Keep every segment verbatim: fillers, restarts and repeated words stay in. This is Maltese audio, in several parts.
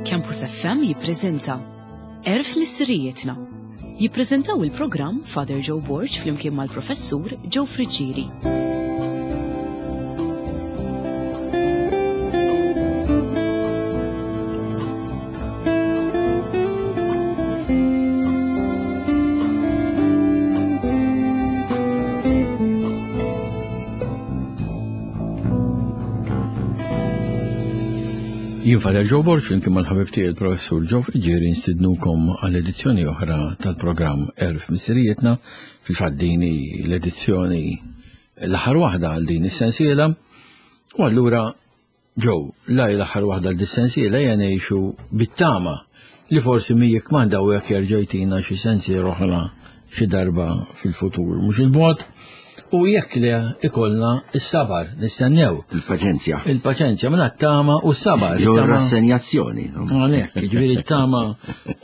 Campus F M jippreżenta Għerf Missirijietna. Jippreżentaw il-programm Father Joe Borg flimkien mal-Professur Joe Friggieri. Jien Father Joe Borg flimkien mal-ħabib tiegħi il-Professur Joe Friggieri nstidnukom għal edizzjoni oħra tal-programm Għerf Missirijietna. Fil-fatt din hi l-edizzjoni l-aħħar waħda għal din is-sensiela. U allura Joe, la hi l-aħħar waħda għal din is-sensiela hija ngħixu bit-tama li forsi min jikmanda u jekk jerġa' jtina xi sensiela oħra xi darba fil-futur mhux il-bogħod. U jekk le ikollna s-sabar, nistennew. Il-paċenzja. Il-paċenzja, mela t-tama u s-sabar. Jew It-tama rassenjazzjoni, no? Għalhekk, jiġifieri t-tama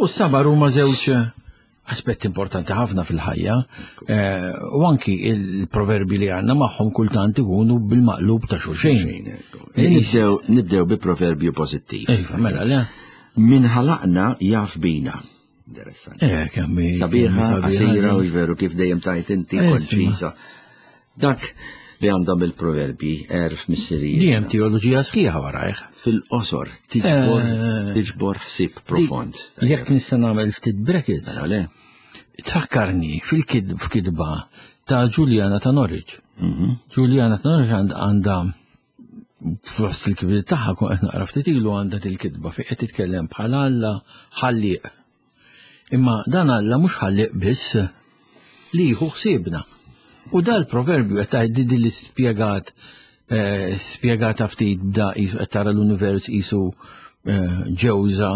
u s-sabar huma żewġ aspetti importanti ħafna fil-ħajja. Eh, u anki il-proverbi li għandna magħhom kultant ikunu bil-maqlub ta' xulxin. Xulxin, ekku. Nibdew, nibdew bi proverbju pożittiv. Iva, mela, le. Min ħalaqna jaf bina. Interessanti. Eh, kemm hi, Sabiħa, kemm hi sabiħa qasira din. u veru kif dejjem tajt inti Eh, konċisa. Dak li għandhom il-proverbi, għerf missirijiet. Dejjem teoloġija sħiħa warajh. Fil-qosor, tiġbor, Eh. tiġbor ħsieb profond. Jekk nista' nagħmel ftit brackets. Mela le. Tfakkarni fil-kid-, f'kitba ta' Juliana ta' Norwich. Mhm. Juliana ta' Norwich għand-, għandha fost il-kbir tagħha kun qed naqra ftit ilu għandha til-kitba fejn qed titkellem bħala Alla ħallieq. Imma dan Alla mhux ħallieq biss li jieħu ħsiebna. U dal-proverbju qed tgħid di li spjegat, eh, spjegata ftit bda qisu qed tara l-univers qisu, eh, ġewża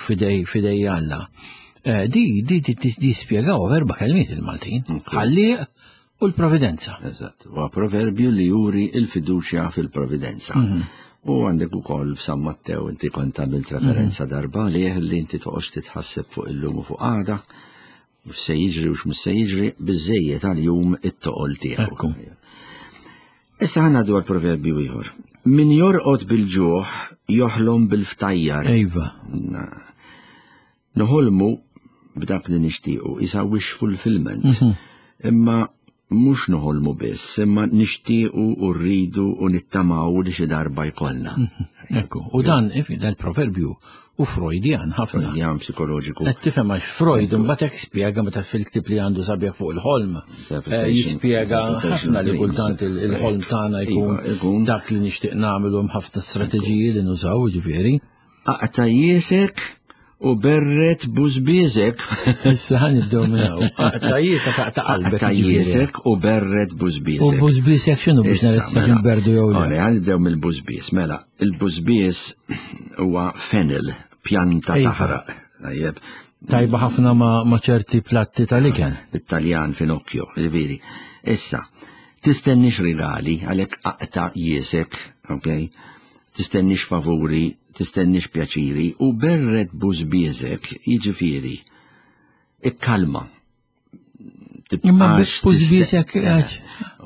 fidej, fidej Alla. Eh, di, di, di, di, di spjegaw erba' kelmiet il-Maltin. Ok. Ħallieq u l-providenza. Eżatt, huwa proverbju li juri il-fiduċja fil-providenza. Mhm. U għandek ukoll f'San Mattew inti kont għamilt referenza Mhm. darba lih li inti toqgħodx titħasseb fuq illum u fuq għada, u x'se jiġri u x'mhux se jiġri, biżejjed għal-jum it-toqol tiegħu. Ekku. Issa ħa ngħaddu għal proverbju ieħor. Min jorqod bil-ġuħ joħlom bil-ftajjar. Ejva. Na-, Noħolmu b'dak li nixtiequ, isa wish fulfillment. Mhm. Imma mhux noħolmu biss, imma nixtiequ u rridu u nittamaw li xi darba jkollna. Mhm. Ekku, u dan, ifi, dan il-proverbju u Freudian ħafna. Freudian psikoloġiku. Qed tifhem għax Freud imbagħad hekk spjega meta fil-ktieb li għandu sabiħ fuq il-ħolm, Interpretation, eh, jispjega interpretation ħafna li dreams. kultant il-, il-ħolm tagħna jkun Iva, ikun. dak li nixtieq nagħmlu hemm ħafna strateġiji li nużaw, jiġifieri. Aqta' jiesek u berret bużbieżek. Issa ħa nibdew minn hawn. Aqta' jiesek, aqta' qalbek, Aqta' jiġifieri. jiesek u berret bużbieżek. U bużbieżek x'inhu biex Issa, nara tista' mela. nberdu jew le? Ora, ħa nibdew mill-bużbież. Mela, il-bużbież huwa fennel, pjanta Iva. taħraq. Tajjeb. Tajba ħafna ma-, ma' ċerti platti tal-ikel. Bit-Taljan finocchio, jiġifieri. Issa, tistennix rigali, għalhekk aqta' jiesek, ok? Tistennix favuri, tistennix pjaċiri, u berret bużbieżek, jiġifieri, ikkalma. Imma Tibqax bużbieżek, tiste- għax.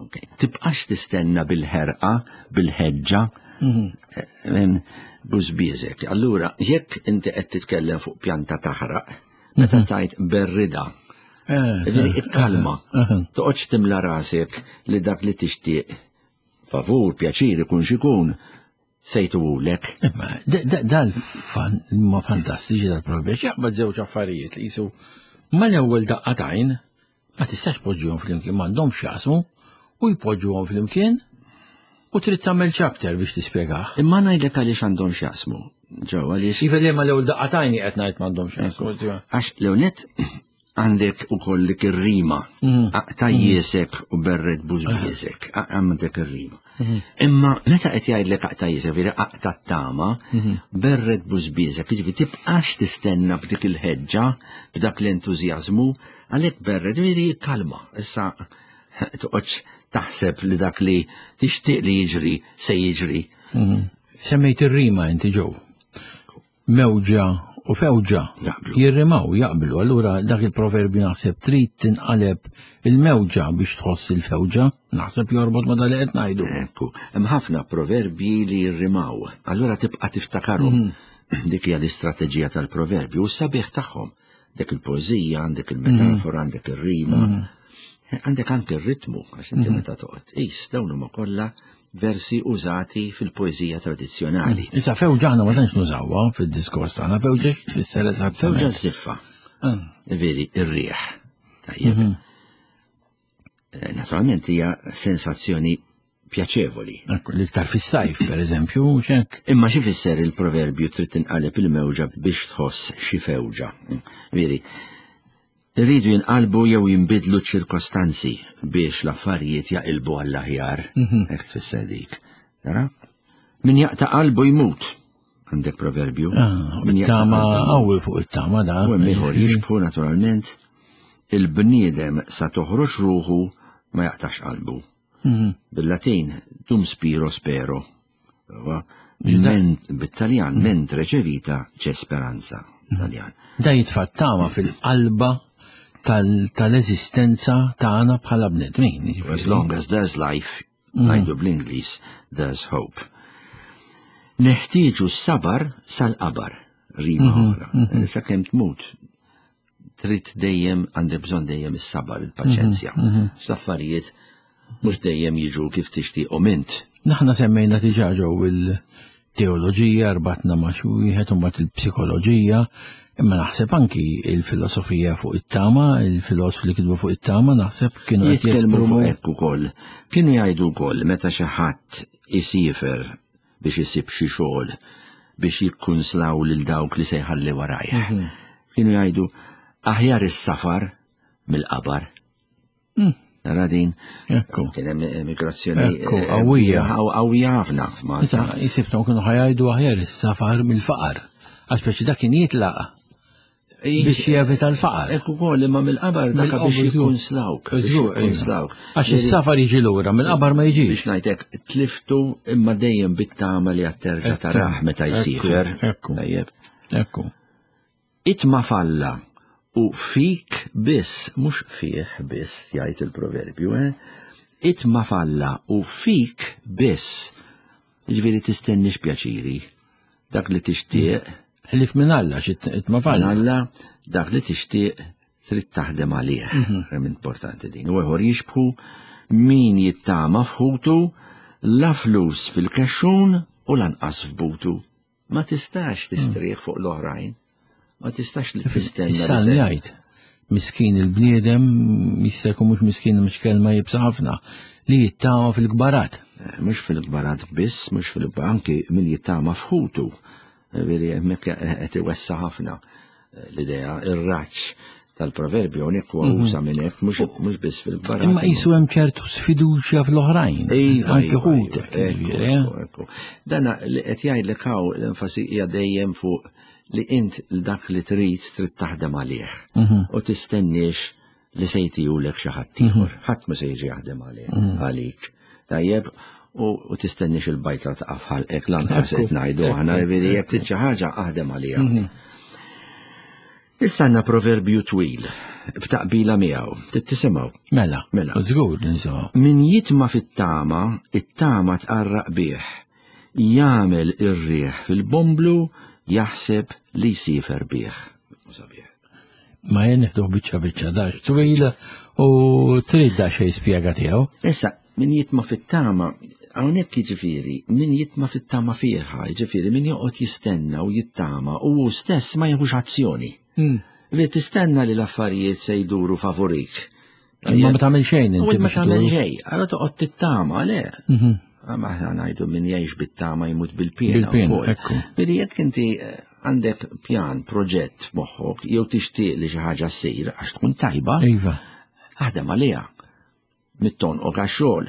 Ok. Tibqax tistenna bil-ħerqa, bil-ħeġġa, Mhm. eh, bużbieżek. Allura, jekk inti qed titkellem fuq pjanta taħraq, meta Mhm. tajt berrida, Eh, jiġifieri eh, ikkalma. eh, eh. Toqgħodx timla rasek li dak li tixtieq favur, pjaċir, ikun x'ikun, sejtuhulek. Imma, da-, da-, dal-fan, ma fantastiċi dal-proverbju, jaqbad żewġ affarijiet li jisu mal-ewwel daqqa tajn ma tistax poġġuhom flimkien, m'għandhomx x'jaqsmu, u jpoġġuhom flimkien u trid tagħmel chapter biex tispjegah. Imma ngħidlek għaliex għandhom x'jaqsmu. Ġew għaliex Iva li mal-ewwel daqqa tajn qed ngħid m'għandhomx x'jaqsmu. Għax l-ewwel għandek ukoll dik ir-rima. Mm. Aqta' jiesek u berret bużbieżek. A-, għandek ir-rima. Mm. Imma meta qed jgħidlek aqta' jiesek, veri aqta' t-tama, Mm. berret bużbieżek, jiġifieri tibqax tistenna b'dik il-ħeġġa, b'dak l-entużjażmu, għalhekk berret, veri kalma. Issa toqgħodx taħseb li dak li tixtieq li jiġri se jiġri. Mm. Semmejt ir-rima inti ġew. Mewġa u fewġa Jaqblu. Jirrimaw, jaqblu. Allura dak il-proverbju naħseb trid tinqaleb il-mewġa biex tħoss il-fewġa, naħseb jorbot ma dal qed ngħidu. Ekku, hemm ħafna proverbji li jirrimaw. Allura tibqa' tiftakarhom. Mhm. Dik hija l-istrateġija tal-proverbju u s-sabiħ tagħhom. Dik il-poeżija, għandek il-metafora, għandek ir-rima, għandek anke ir-ritmu, għax inti meta toqgħod qis dawn huma kollha versi użati fil-poeżija tradizzjonali. Issa fewġa aħna ma tantx nużawha fid-diskors tagħna, fewġa tfisser eżattament. Fewġa żiffa. Ah. Veri, ir-riħ. Tajjeb. Eh, Naturalment hija sensazzjoni pjaċevoli. Ekku, L-iktar fis-sajf, per eżempju, xek. Imma xi fisser il-proverbju trid tinqaleb il-mewġa biex tħoss xi fewġa. Veri, rridu jinqalbu jew jinbidlu ċirkostanzi biex l-affarijiet jaqilbu għall-aħjar. Hekk tfisser dik. Tara? Min jaqta' qalbu jmut. Għandek proverbju. Ah, Min jaqta' Tama qalbu jmut. qawwi fuq it-tama da. U hemm ieħor jixbħu naturalment il-bniedem sa toħroġ ruħu ma jaqtax qalbu. Mhm. Bil-Latin dum spiro spero. Huwa, men- Bit-Taljan mentre c'è vita c'è speranza. Taljan. Da jitfa' tama fil-qalba tal- tal-eżistenza tagħna bħala bnedmin. jiġifieri. As long as there's life, ngħidu bl-Ingliż, there's hope. Neħtieġu s-sabar sal-qabar, rima oħra. Sakemm tmut, trid dejjem għandek bżonn dejjem is-sabar, il-paċenzja. L-affarijiet mhux dejjem jiġu kif tixtieqhom int. Naħna semmejna diġà ġew il-teoloġija, rbatna ma' xi wieħed u mbagħad il-psikoloġija, imma naħseb anki il-filosofija fuq it-tama, il-filosofi li kitbu fuq it-tama, naħseb kienu qed Jitkellmu jesprimu fuq hekk ukoll. Kienu jgħidu wkoll meta xi ħadd isifer biex isib xi xogħol biex jikkunslaw lil dawk li se jħalli warajh. Kienu jgħidu aħjar is-safar mill-qabar. Nara din Ekku. kien hemm immigrazzjoni Ekku, eh, qawwija. qawwija ħafna f'Malta. Issa jisibtom kienu ħajajdu aħjar is-safar mill-faqar. Għax speċi dak kien jitlaq biex jevita l-faqar. Ekku wkoll imma mill-qabar dak Mill-qabar, biex żgur. jikkunslawk. biex Żgur, iva. jikkunslawk. Għax is-safar jiġi lura, mill-qabar ma jiġix. Biex ngħidlek tliftu imma dejjem bit-tama li għat-terġa Ekku, tarah meta ekku, jsifer. ekku. Tajjeb. Ekku. Itma falla u fik biss, mhux fih biss, jgħid il-proverbju, eh? Itma falla u fik biss. Jiġifieri tistennix pjaċiri. Dak li tixtieq, Ħlif minn Alla xi itma falla. Alla, dak li tixtieq trid taħdem għalih. Kemm importanti din. U ieħor jixbħu min jittama f'ħutu la flus fil-kexxun u lanqas f'butu. Ma tistax tistrieħ fuq l-oħrajn. Ma tistax li tistenna. li Is-salm se- jgħid, miskin il-bniedem, jista' jkun mhux miskin mhux kelma jibsa ħafna, li jittama fil-kbarat. Eh, Mhux fil-kbarat biss, mhux fil-kbarat, anki min jittama f'ħutu. Eh, Veri, hemmhekk qed iwessa ħafna eh, l-idea, ir-raġġ tal-proverbju hawnhekk huwa usa minn hekk, mhux mhux biss fil-kbarat. Imma qisu hemm ċertu sfiduċja fl-oħrajn. Iva, Anki iva, ħutek, iva, ekku, jiġifieri, eh? ekku, ekku. Dana li qed jgħidlek hawn l-enfasi hija dejjem fuq li int dak li trid trid taħdem għalih. Mhm. U tistenniex li se jtijulek xi ħadd ieħor. Ħadd ma se jiġi jaħdem għalih Mhm. għalik. Tajjeb, u u tistenniex il-bajtra ta' f'ħalqek lanqas Ekku, qed ngħidu aħna jiġifieri jekk trid xi ħaġa aħdem għaliha. Mhm. Issa għandna proverbju twil b'taqbila miegħu. Tittisimgħu. Mela, Mela. Żgur nisimgħu. Min jitma fit-tama, it-tama tqarraq bih. Jagħmel ir-riħ fil-bomblu, jaħseb li jsifer bih. U sabiħ. Ma jien nieħdu biċċa biċċa dax twil u trid da xejn spjega tiegħu. Issa, min jitma fit-tama, hawnhekk jiġifieri, min jitma fit-tama fierħa, jiġifieri min joqgħod jistenna u jittama u hu stess ma jieħux azzjoni. Li tistenna li l-affarijiet se jduru favorik. Imma ma tagħmel xejn U inti ma biex tagħmel iduru. xejn, allora toqgħod tittama, le. Ma aħna ngħidu min jgħix bit-tama jmut bil-piena. Bil-piena, wkoll. ekku. Veri jekk inti eh, għandek pjan, proġett f'moħħok, jew tixtieq li xi ħaġa ssir għax tkun tajba, Iva. aħdem għaliha. Mittonqok għax-xogħol.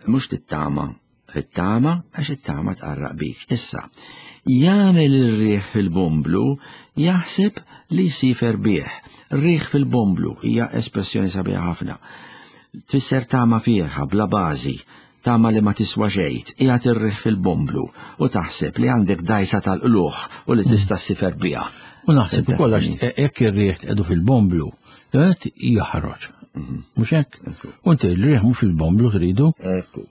Mhux tittama, it-tama għax it-tama tqarraq bik. Issa, jagħmel ir-riħ fil-bomblu jaħseb li jsifer bih. Riħ fil-bomblu hija espressjoni sabiħa ħafna. Tfisser tama fierħa bla bażi, tama li ma tiswa xejn, qiegħed ir-riħ fil-bomblu u taħseb li għandek dajsa tal-qluħ u li tista' ssifer biha. U naħseb ukoll għax jekk ir-riħ tqedu fil-bomblu, l-għanet jaħroġ. Mhux hekk? U inti r-riħ mhux fil-bomblu tridu. Ekku.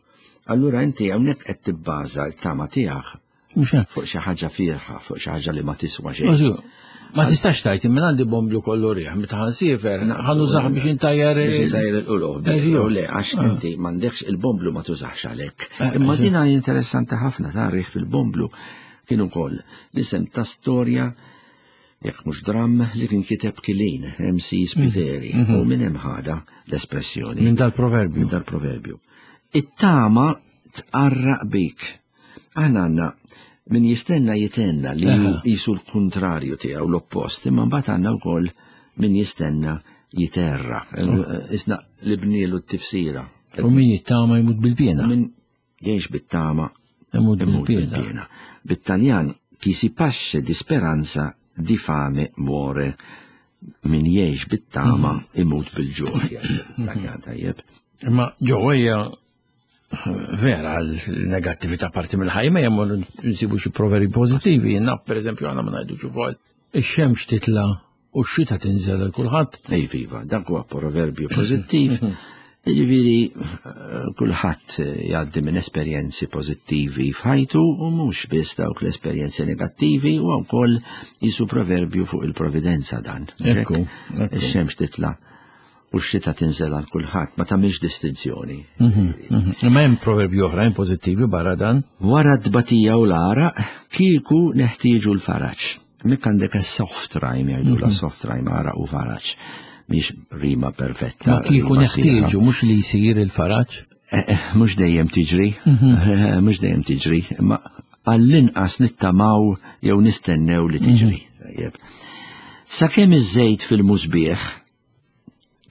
Allura inti hawnhekk qed tibbaża l-tama tiegħek Mhux hekk. Fuq xi ħaġa fierħa, fuq xi ħaġa li ma tiswa xejn. Ma tistax tgħid minn għandi bomblu kollu riħ, meta ħansiefer, ħanużah biex intajjar Biex intajjar il-quluħ. Jew le, għax inti m'għandekx il-bomblu ma tużax għalhekk. Imma din hi interessanti ħafna ta' riħ fil-bomblu kien ukoll l-isem ta' storja jekk mhux dramm li kien kiteb Kilin, M C Spiteri, u minn hemm ħada l-espressjoni. Minn dal-proverbju. Minn dal-proverbju. It-tama tqarraq bik. Aħna għandna min jistenna jitenna li jisu l-kontrarju tiegħu l-oppost, imma mbagħad għandna wkoll min jistenna jiterra. Isna li bnielu t-tifsira. U min jittama jmut bil-pjena. Min jgħix bit-tama Imut imut bil-pjena. bil-pjena. Bit-Taljan chi si pasce di speranza di fame muore. Min jgħix bit-tama imut bil-ġuħ. Taljan tajjeb. Imma ġewwa vera l-negattività parti mill-ħajja, ma jemmur nsibu xi proverbi pożittivi. Naf pereżempju għandna ma ngħidux ukoll ix-xemx titla' u x-xita tinżel għal kulħadd. Ej viva, dak huwa proverbju pożittiv. Jiġifieri kulħadd jgħaddi minn esperjenzi pożittivi f'ħajtu u mhux biss dawk l-esperjenzi negattivi, u wkoll jisu proverbju fuq il-providenza dan. Ekku, ekku. Ix-xemx titla' u x-xita tinżel għal kulħadd, ma tagħmilx distinzjoni. Mhm, mhm. Imma hemm proverbji oħrajn pożittivi barra dan? Wara t-tbatija u l-għaraq, kieku neħtieġu l-faraġ. Mek għandek soft rhyme, jgħidu la Mhm. soft rhyme, għaraq u faraġ. Mhix rima perfetta. Ma kieku rima sieħa. neħtieġu, mhux li jsir il-faraġ? Eh, eh, mhux dejjem tiġri, Mhm. mhux dejjem tiġri, imma għall-inqas nittamaw jew nistennew li tiġri. Mhm. Tajjeb. Sakemm iż-żejt fil-musbieħ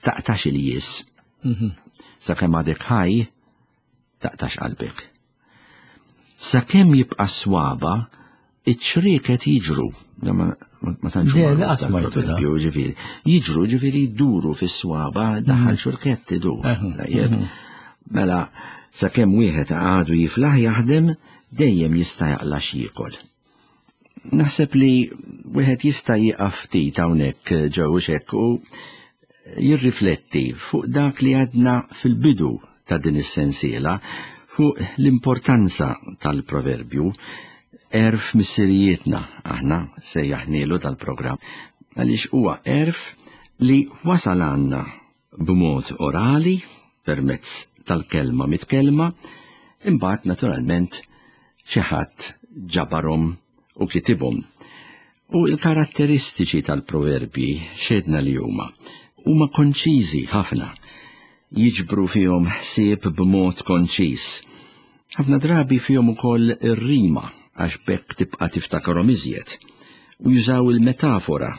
taqtax il-jies. Mhm. Sakemm għadek ħaj, taqtax qalbek. Sakemm jibqa' swaba, iċ-ċrieket jiġru. Da ma, ma, ma tantx Le, magħruf le, qatt smajtu da. dal-proverbju, ġifieri. Jiġru, ġifieri jduru fis-swaba, daħal Mhm. xurkett idur. Mhm. Tajjeb. Mhm. Mela, sakemm wieħed għadu jiflaħ jaħdem, dejjem jista' jaqla' x'jiekol. Naħseb li wieħed jista' jieqaf ftit hawnhekk ġew hekk u jirrifletti fuq dak li għadna fil-bidu ta' din is-sensiela, fuq l-importanza tal-proverbju, għerf missirijietna, aħna sejjaħnielu tal-programm, għaliex huwa għerf li wasal għandna b'mod orali, permezz tal-kelma mitkelma, imbagħad naturalment xi ħadd ġabarhom u kitibhom. U l-karatteristiċi tal-proverbji xedna li huma huma konċiżi ħafna, jiġbru fihom ħsieb b'mod konċiż. Ħafna drabi fihom ukoll ir-rima għax bekk tibqa' tiftakarhom iżjed, u jużaw il-metafora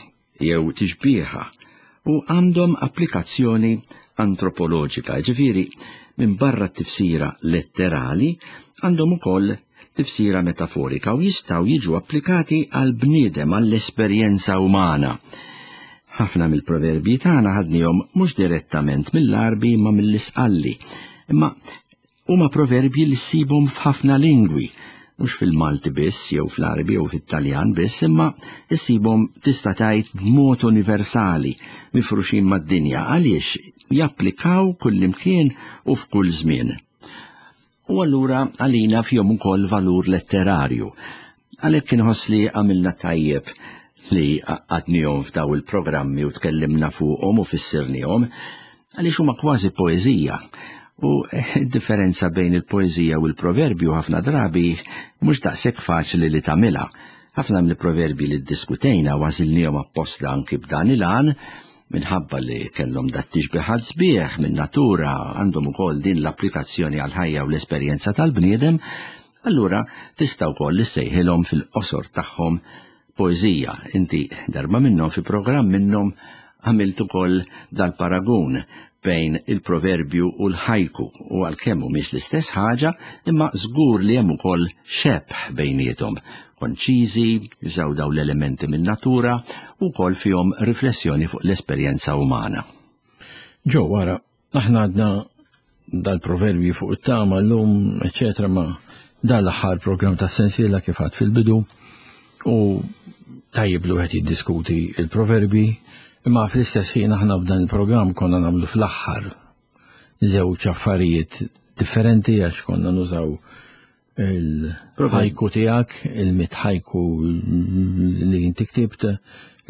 jew tixbieha, u għandhom applikazzjoni antropoloġika, ġifieri minn barra t-tifsira letterali għandhom ukoll tifsira metaforika u jistgħu jiġu applikati għal bniedem, għall-esperjenza umana. Ħafna mill-proverbji tagħna ħadnihom mhux direttament mill-Għarbi imma mill-Isqalli, imma huma proverbji li ssibhom f'ħafna lingwi, mhux fil-Malti biss jew fl-Għarbi jew fit-Taljan biss, imma ssibhom tista' tgħid b'mod universali mifruxin mad-dinja għaliex japplikaw kullimkien u f'kull żmien. U allura għalina fihom ukoll valur letterarju. Għalhekk inħoss li għamilna tajjeb li għadnihom f'daw il-programmi u tkellimna fuqhom u fissirnihom, għaliex huma kważi poeżija. U d-differenza bejn il-poeżija u l-proverbju ħafna drabi mhux daqshekk faċli li tagħmilha. Ħafna mill-proverbji li ddiskutejna għażilnihom apposta anki b'dan il-għan, minħabba li kellhom dat tixbihat sbieħ minn natura, għandhom ukoll din l-applikazzjoni għall-ħajja u l-esperjenza tal-bniedem, allura tista' wkoll issejħilhom fil-qosor tagħhom poeżija. Inti darba minnhom fi programm minnhom għamilt ukoll dal-paragun bejn il-proverbju u l-ħajku, u għalkemm mhumiex l-istess ħaġa, imma żgur li hemm ukoll xebh bejniethom. Konċiżi, jużaw daw l-elementi minn natura u wkoll fihom riflessjoni fuq l-esperjenza umana. Ġo, wara, aħna għadna dal-proverbji fuq it-tama llum, eċetera, ma dal-aħħar programm ta' sensiela kif għad fil-bidu, u tajjeb li wieħed jiddiskuti il-proverbi, imma fl-istess ħin aħna f'dan il-programm konna nagħmlu fl-aħħar żewġ affarijiet differenti għax konna nużaw Il-ħajku tiegħek, il-mit ħajku li inti ktibt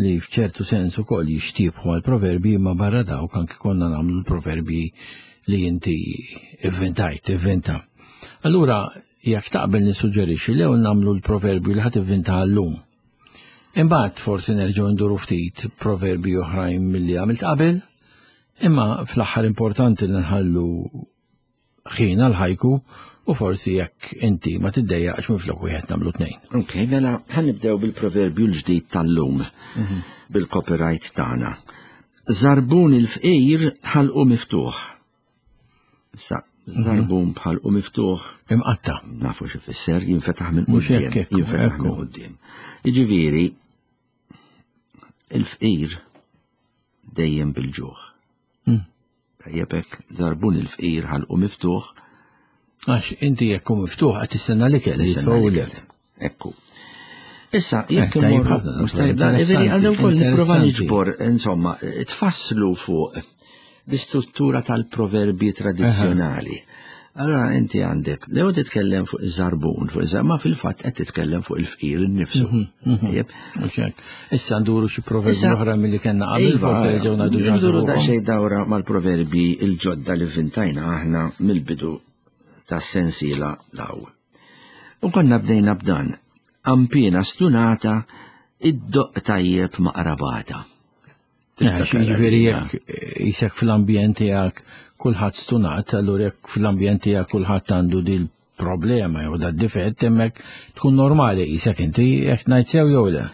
li f'ċertu sens ukoll jixtiebħu għal proverbi, imma barra dawk anki konna nagħmlu l-proverbi li inti ivvintajt, ivvinta. Allura, jekk taqbel nissuġġerixxi li nagħmlu l-proverbju li ħadd ivvinta llum. Imbagħad forsi nerġgħu nduru ftit proverbi oħrajn milli għamilt qabel, imma fl-aħħar importanti li nħallu ħin għal ħajku u forsi jekk inti ma tiddejjaqx minflok wieħed nagħmlu tnejn. Ok, mela ħa nibdew bil-proverbju l-ġdid tal-lum, bil-copyright tagħna. Żarbun il-fqir ħalqu miftuħ. Sa, żarbun b'ħalqu miftuħ. Imqatta. Nafu x'ifisser, jinfetaħ minn Mhux quddiem, hekk, ekku, jinfetaħ ekku. minn quddiem. Jiġifieri, il-fqir dejjem bil-ġuħ. Mm. Tajjeb hekk, żarbun il-fqir ħalqu miftuħ, Għax inti jekk hu miftuħ qed tistenna l-ikel li tistenna jitfgħulek. l-ikel. Ekku. Issa, jekk Eh, tajjeb immorru- ħafna, mhux tajjeb dan, interessanti, iveri, għandna wkoll nipprova interessanti. niġbor, insomma, tfasslu fuq l-istruttura tal-proverbi tradizzjonali. Allora inti għandek, lew titkellem fuq iż-żarbun, fuq iż ma fil-fatt qed titkellem fuq il-fqir innifsu. Tajjeb? Mhux hekk. Issa nduru xi proverbi Issa- oħra milli kellna qabel, Iva, forsi nerġgħu ngħidu xi ħaġa Nduru fuqhom. daqsxejn dawra mal-proverbi il-ġodda li vvintajna aħna mill-bidu tas-sensiela law. U konna bdejna b'dan, qanpiena stunata, iddoqq tajjeb ma' qrabata. Jiġifieri jekk jisek fl-ambjent tiegħek kulħadd stunat, allura jekk fl-ambjent tiegħek kulħadd għandu dil problema jew da difett hemmhekk tkun normali jisek inti jekk ngħid sew jew le.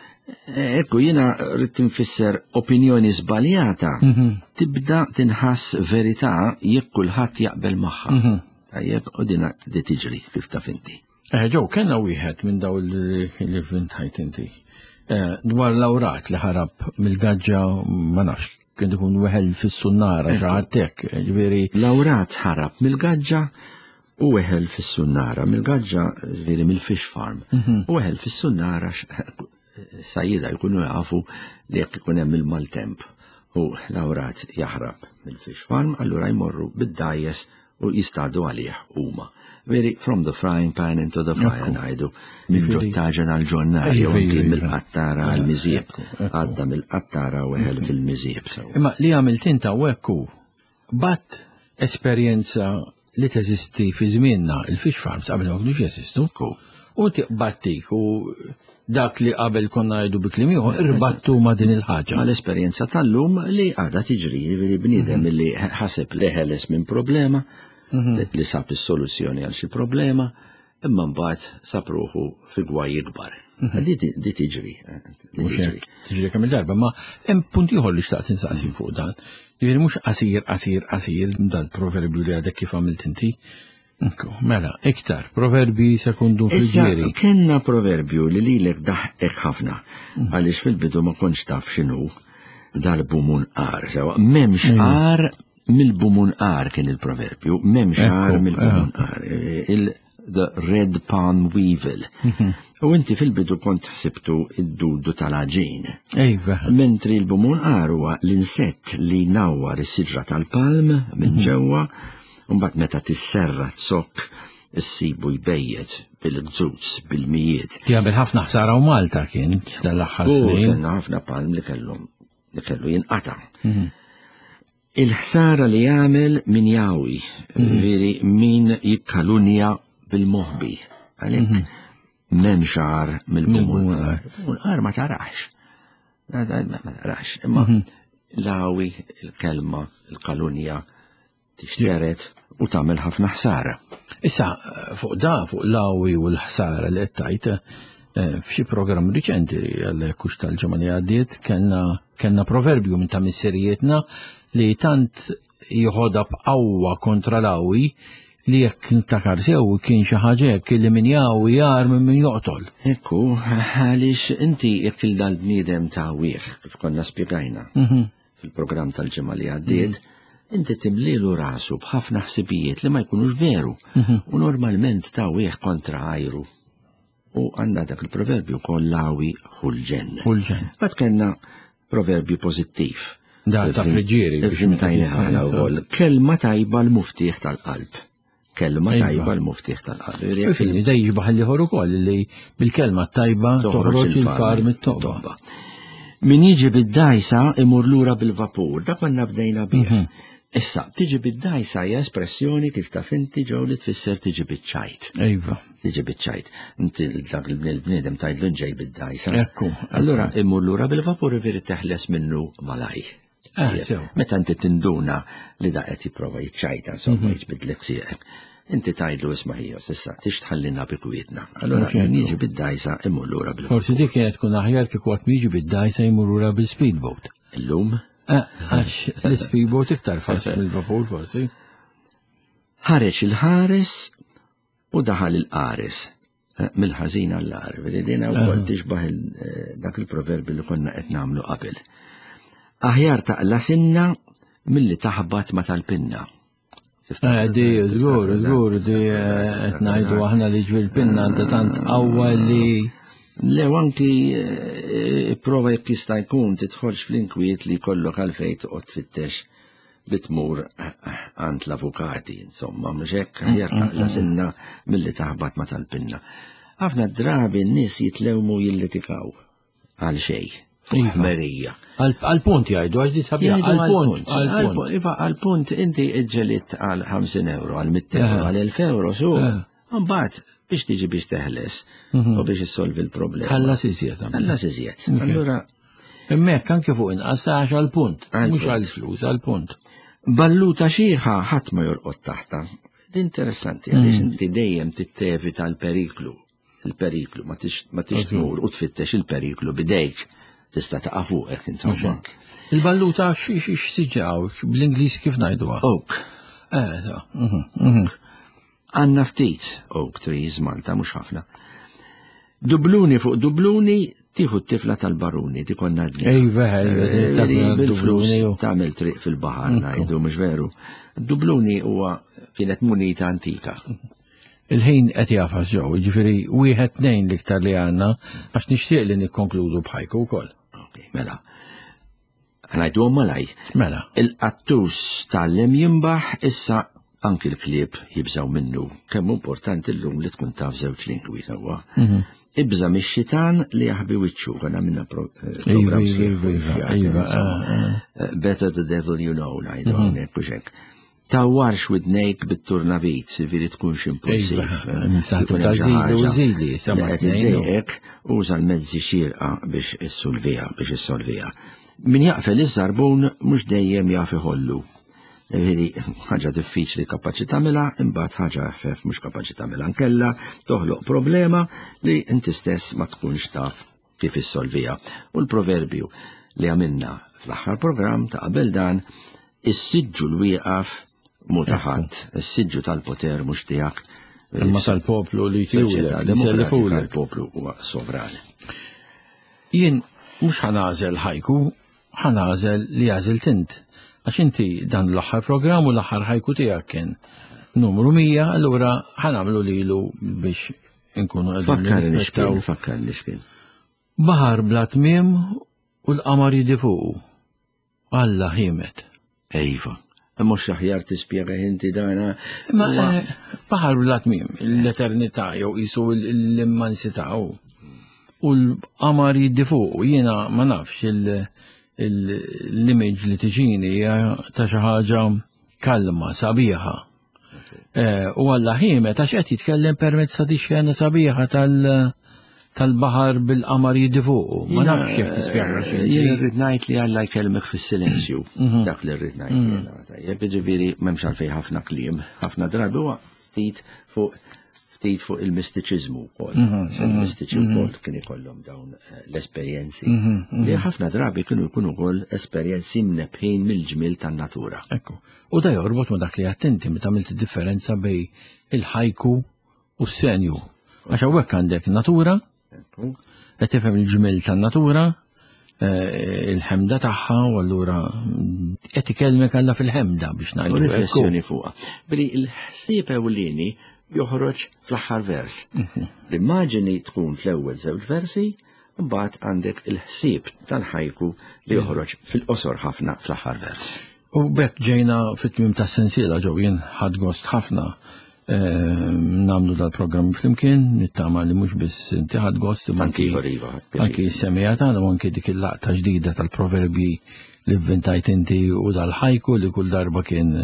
Ekku, jiena rrid nfisser opinjoni żbaljata tibda tinħass verità jekk kulħadd jaqbel magħha. Tajjeb, u dina di tiġri kif taf inti. Eh, Joe, kellna wieħed minn daw li li vvintajt inti. Eh, Dwar l-awrat li ħarab mill-gaġġa ma nafx, kien ikun weħel fis-sunnara xi ħadd hekk, ġifieri L-awrat ħarab mill-gaġġa u weħel fis-sunnara. Mill-gaġġa, ġifieri mill-fish farm. U weħel fis-sunnara sajjida jkunu jafu li jekk ikun hemm il-maltemp u l-awrat jaħrab mill-fish farm, allura jmorru bid-dgħajjes u jistadu għalih huma. Veri, from the frying pan into the fire ngħidu, minn ġot-taġen għal-ġon-nar, jew Iva, anki iva, iva. mill-qattara għal-miżieb. Ekku, ekku. Għadda mill-qattara u weħel fil-miżieb. Imma li għamilt inta u ekku, bat esperjenza li teżisti fi żmienna, il-fish farms qabel ma kienux jeżistu. U tiqbattik u dak li qabel konna ngħidu bi kliem ieħor irbattu ma' din il-ħaġa. Ma l-esperjenza tal-lum li għada tiġri, li bniedem li ħaseb li ħeles minn problema, li li sab is-soluzzjoni għal xi problema, imma mbagħad sab ruħu fi gwaj ikbar. Di di tiġri. eh, di Mhux tiġri. hekk, tiġri kemm il-darba, ma hemm punt ieħor li xtaqt insaqsi fuq dan. Ġifieri mhux qasir, qasir, qasir dal-proverbju li għadek kif għamilt inti. Ekku, mela, iktar, proverbi sekundu Issa, Friggieri. kellna proverbju li lilek daħek ħafna, għaliex fil-bidu ma kontx taf x'inhu dal-bumunqar. Sewa, m'hemmx agħar mill-bumunqar kien il-proverbju, m'hemmx agħar Ekku, mill-bumunqar. Il the red palm weevil. U inti fil-bidu kont ħsibtu id-dudu tal-għaġin. Ejva, Mentri l-bumunqar huwa l-insett li nawwar is-siġra tal-palm minn ġewwa, u mbagħad meta tisserra zokk issibu jbejjet bil-gżuz, bil-mijiet. Jagħmel ħafna ħsara u Malta kien tal-aħħar U snin. kellna ħafna palm li kellhom li kellu jinqata. Il-ħsara li jagħmel min jawi, veri min jikkalunja bil-moħbi. Għalhekk m'hemmx agħar mill-bumunqar. Bumunqar ma tarax. Ma ma tarax. Imma l-għawi, il-kelma, il-kalunja tixteret u tagħmel ħafna ħsara. Issa, fuq da, fuq l-għawi u l-ħsara li qed tgħid, eh, f'xi programm riċenti għal kux tal-ġimgħa li għaddiet kellna kellna proverbju minn ta' missirijietna li tant jħodha b'qawwa kontra l-għawi li jekk ntakar sew kien xi ħaġa hekk li min jagħwi agħar minn min joqtol. Ekku, għaliex inti jekk il-dal-bniedem ta' wieħ, kif konna spjegajna fil-programm tal-ġimgħa li għaddiet, inti timlilu rasu b'ħafna ħsibijiet li ma jkunux veru. U normalment ta' wieħ kontra għajru. U għandna dak il-proverbju kollawi ħulġen. U l-ġen. Bat kellna proverbju pożittiv. Da ta' Friggieri biex meta Ivvintajna tista' ħana wkoll. Kelma tajba l-muftieħ tal-qalb. Kelma Iva. tajba l-muftiħ tal-qalb. Fini, da jiġbaħ l-ieħor ukoll li bil-kelma tajba toħroġ il-far mit-toqba. Min jiġi bid-dajsa imur lura bil-vapur, dak konna bdejna bih. Mhm. Issa, tiġi bid-dajsa hija espressjoni kif taf inti ġew li tfisser tiġi biċ-ċajt. Iva. Tiġi biċ-ċajt. Inti dak il-bniedem tgħidlu ġej bid-dajsa. Ekku. Allura imur lura bil-vapur veri teħles minnu malaj. Ah, sew. Meta inti tinduna li da qed jipprova jiċċajta, insomma, Mhm. jiġbidlek sieqek. Inti tgħidlu isma' ħija, s'issa tix tħallina bi kwietna. Allura Mhux hekk. min jiġi bid-dajsa imur lura bil-vapur. Forsi dik kienet tkun aħjar kieku qatt jiġi bid-dajsa jmur lura bil-speedboat. Illum Eh, Għax l-speedboat iktar fast mill-vapur forsi. ħareġ il-ħares u daħal il-qares. Eh, Mill-ħażin għall-agħar. Vedi dina wkoll tixbaħ il- eh, dak il-proverbi li konna qed nagħmlu qabel. Aħjar taqla sinna milli taħbat ma tal-pinna. Tiftakar? Eh, Di, żgur, żgur, di eh, qed ngħidu aħna li ġvil pinna għandha tant qawwa li Le, u anki eh, prova jekk jista' jkun tidħolx fl-inkwiet li jkollok għalfejn toqgħod tfittex li tmur għand l-avukati, insomma, mhux hekk aħjar taqla sinna milli taħbat ma tal-pinna. Ħafna drabi n-nies jitlewmu jillitikaw għal xejn, fuq Iva. ħmerija. Għal-punt jgħidu, għax di sabiħa, Jgħidu għal-punt, għal-punt, għal-punt. Iva, għal-punt inti iġġelit għal ħamsin euro, għal mitt euro, Eh. għal elf euro, su. Eh. Mbagħad biex tiġi biex teħles u biex issolvi l-problema. Ħallas iżjed. Ħallas iżjed. Allura, Hemmhekk anke fuq inqas għax għal-punt, Għal-punt. mhux għal-flus, għal-punt. balluta xieħa ħadd ma jorqod taħta. Interessanti, għaliex inti dejjem tittevita l-periklu. Il-periklu, ma tix ma tix tmur u tfittex il-periklu bidejk. Tista' taqa' fuqek, insomma. Il-balluta xi xi x'siġaw, bl-Ingliż kif ngħiduha? Oak. Eh, ta, mhm, mhm. Għanna ftit oak trees Malta, mhux ħafna. Dubluni fuq dubluni tieħu t-tifla tal-baruni, di konna għadni. Ejva, ejva, Eh, ta' Bil-flus dubluni u- tagħmel triq fil-baħar ngħidu mhux veru. Dubluni huwa kienet munita antika. Il-ħin qed jafas ġew, jiġifieri wieħed tnejn l-iktar li għandna għax nixtieq li nikkonkludu b'ħajku wkoll. Ok, mela. Ngħidu malaj. Mela, Il-qattus tgħallem jimbaħ issa anki l-klieb jibżaw minnu. Kemm importanti llum li tkun taf żewġ lingwi sewwa. Mhm. Ibża mix-xitan li jaħbi wiċċu, konna minna pro- eh, Iva, program iva, sħiħ iva, fuq iva, ix-xjaten, iva, insomma. ah, Eh, Better the devil you know, ngħidu hawnhekk u xek. Tawwarx widnejk bit-turnavit, veri tkunx impulsiv. Iva, Eh, nistgħu jkun hemm xi tażili u ħaġa żili, li sema qed tnejn u- iddejqek, uża l-mezzi xierqa biex issolviha, biex issolviha. Min jaqfel iż-żarbun mhux dejjem jaf iħollu. Ġifieri ħaġa diffiċli kapaċi tagħmilha, imbagħad ħaġa ħfef mhux kapaċi tagħmilha. Nkella toħloq problema li inti stess ma tkunx taf kif issolviha. U l-proverbju li għamilna fl-aħħar programm ta' qabel dan, is-siġġu l-wieqaf mhu ta' ħadd, is-siġġu tal-poter mhux tiegħek. Imma tal-poplu li Soċjetà jtiwlek, li demokratika jsellifulek. l-poplu huwa sovran. Jien mhux ħanażel ħajku, ħanażel li għażilt int. Għax inti dan l-aħħar programm u l-aħħar ħajku tiegħek kien numru mija, allura ħanamlu lilu biex inkunu qegħdin Fakkarni nirrispettaw. x'kien, fakkarni x'kien. Baħar bla tmiem u l-qamar jidi fuqu. Alla ħimet. Ejva. Mhux aħjar tispjega inti dana. Ma huwa- eh, baħar bla tmiem, l-eternità jew qisu l-immensità u u l-qamar jiddi fuq, jiena ma nafx il- il- l-image li tiġini hija ta' xi ħaġa kalma, sabiħa. Eh, U Alla ħiemet għax qed jitkellem permezz ta' di xena sabiħa tal- tal-baħar bil-qamar jiddi fuq. Ma nafx jekk tispjega xi. Jien rrid ngħid li Alla jkellmek fis-silenzju. Dak li rrid ngħid jiena. Tajjeb, jiġifieri m'hemmx għalfejn ħafna kliem, ħafna drabi huwa ftit fuq ftit fuq il-mistiċiżmu wkoll. Il-mistiċi wkoll kien ikollhom dawn eh, l-esperjenzi li ħafna drabi kienu jkunu wkoll esperjenzi mnebħin mill-ġmiel tan-natura. Ekku. U da jorbot ma dak li attenti meta għamilt differenza bej il-ħajku u s-senju. Għax hawnhekk għandek natura, Ekku. qed tifhem il-ġmiel tan-natura, eh, il-ħemda tagħha u allura mm, qed ikellmek Alla fil-ħemda biex U ngħidu. Ekku. riflessjoni fuqha. Billi il-ħsieb ewlieni joħroġ fl-aħħar vers. L-immaġini tkun fl-ewwel żewġ versi, mbagħad għandek il-ħsieb tal-ħajku li joħroġ fil-qosor ħafna fl-aħħar vers. U bekk ġejna fit-tmiem tas-sensiela ġew jien ħadd gost ħafna eh, nagħmlu dal-programm flimkien, nittama li mhux biss inti ħadt gost, imma anki Iva, anki s-semmiegħa tagħna u anki dik il-laqta ġdida tal-proverbi li vvintajt inti u dal-ħajku li kull darba kien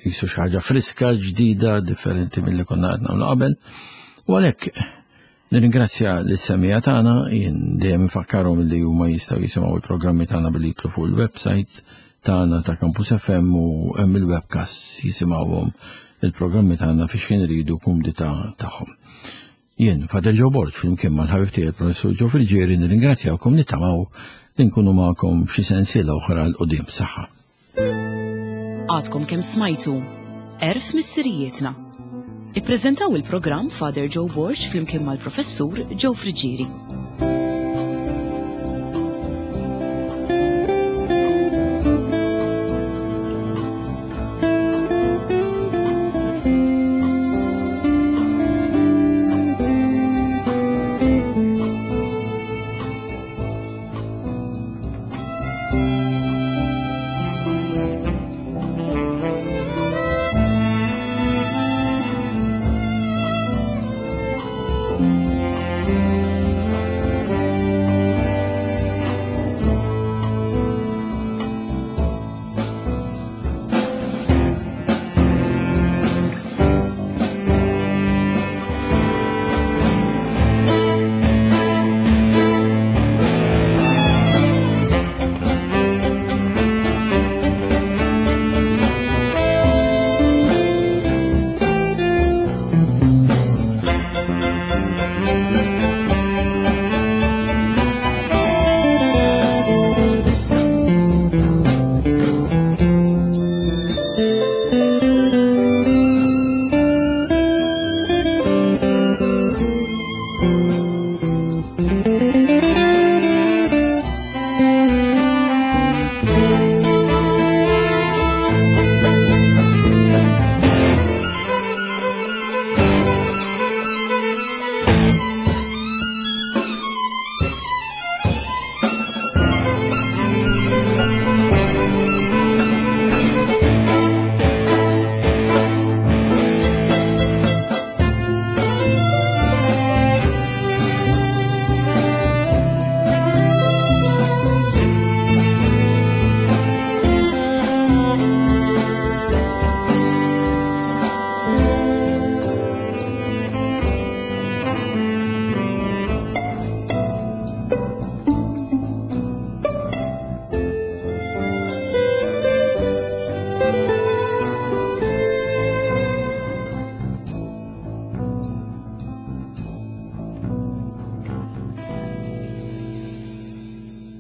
jisu xi ħaġa friska, ġdida, differenti milli konna qed nagħmlu qabel. U għalhekk nirringrazzja lis-semmiegħa tagħna, jien dejjem infakkarhom li huma jistgħu jisimgħu il-programmi tagħna billi jidħlu fuq il-website tagħna ta' Campus F M u hemm il-webcast jisimgħuhom il-programmi tagħna fi xħin iridu kumdità tagħhom. Jien, Father Joe Borg, flimkien mal-ħabib tiegħi il-Professur Joe Friggieri, nirringrazzjawkom, nittamaw li nkunu magħkom f'xi sensiela oħra 'l quddiem. Saħħa. Għadkom kemm smajtu Għerf Missirijietna. Ippreżentaw il-programm Father Joe Borg flimkien mal-Professur Joe Friggieri.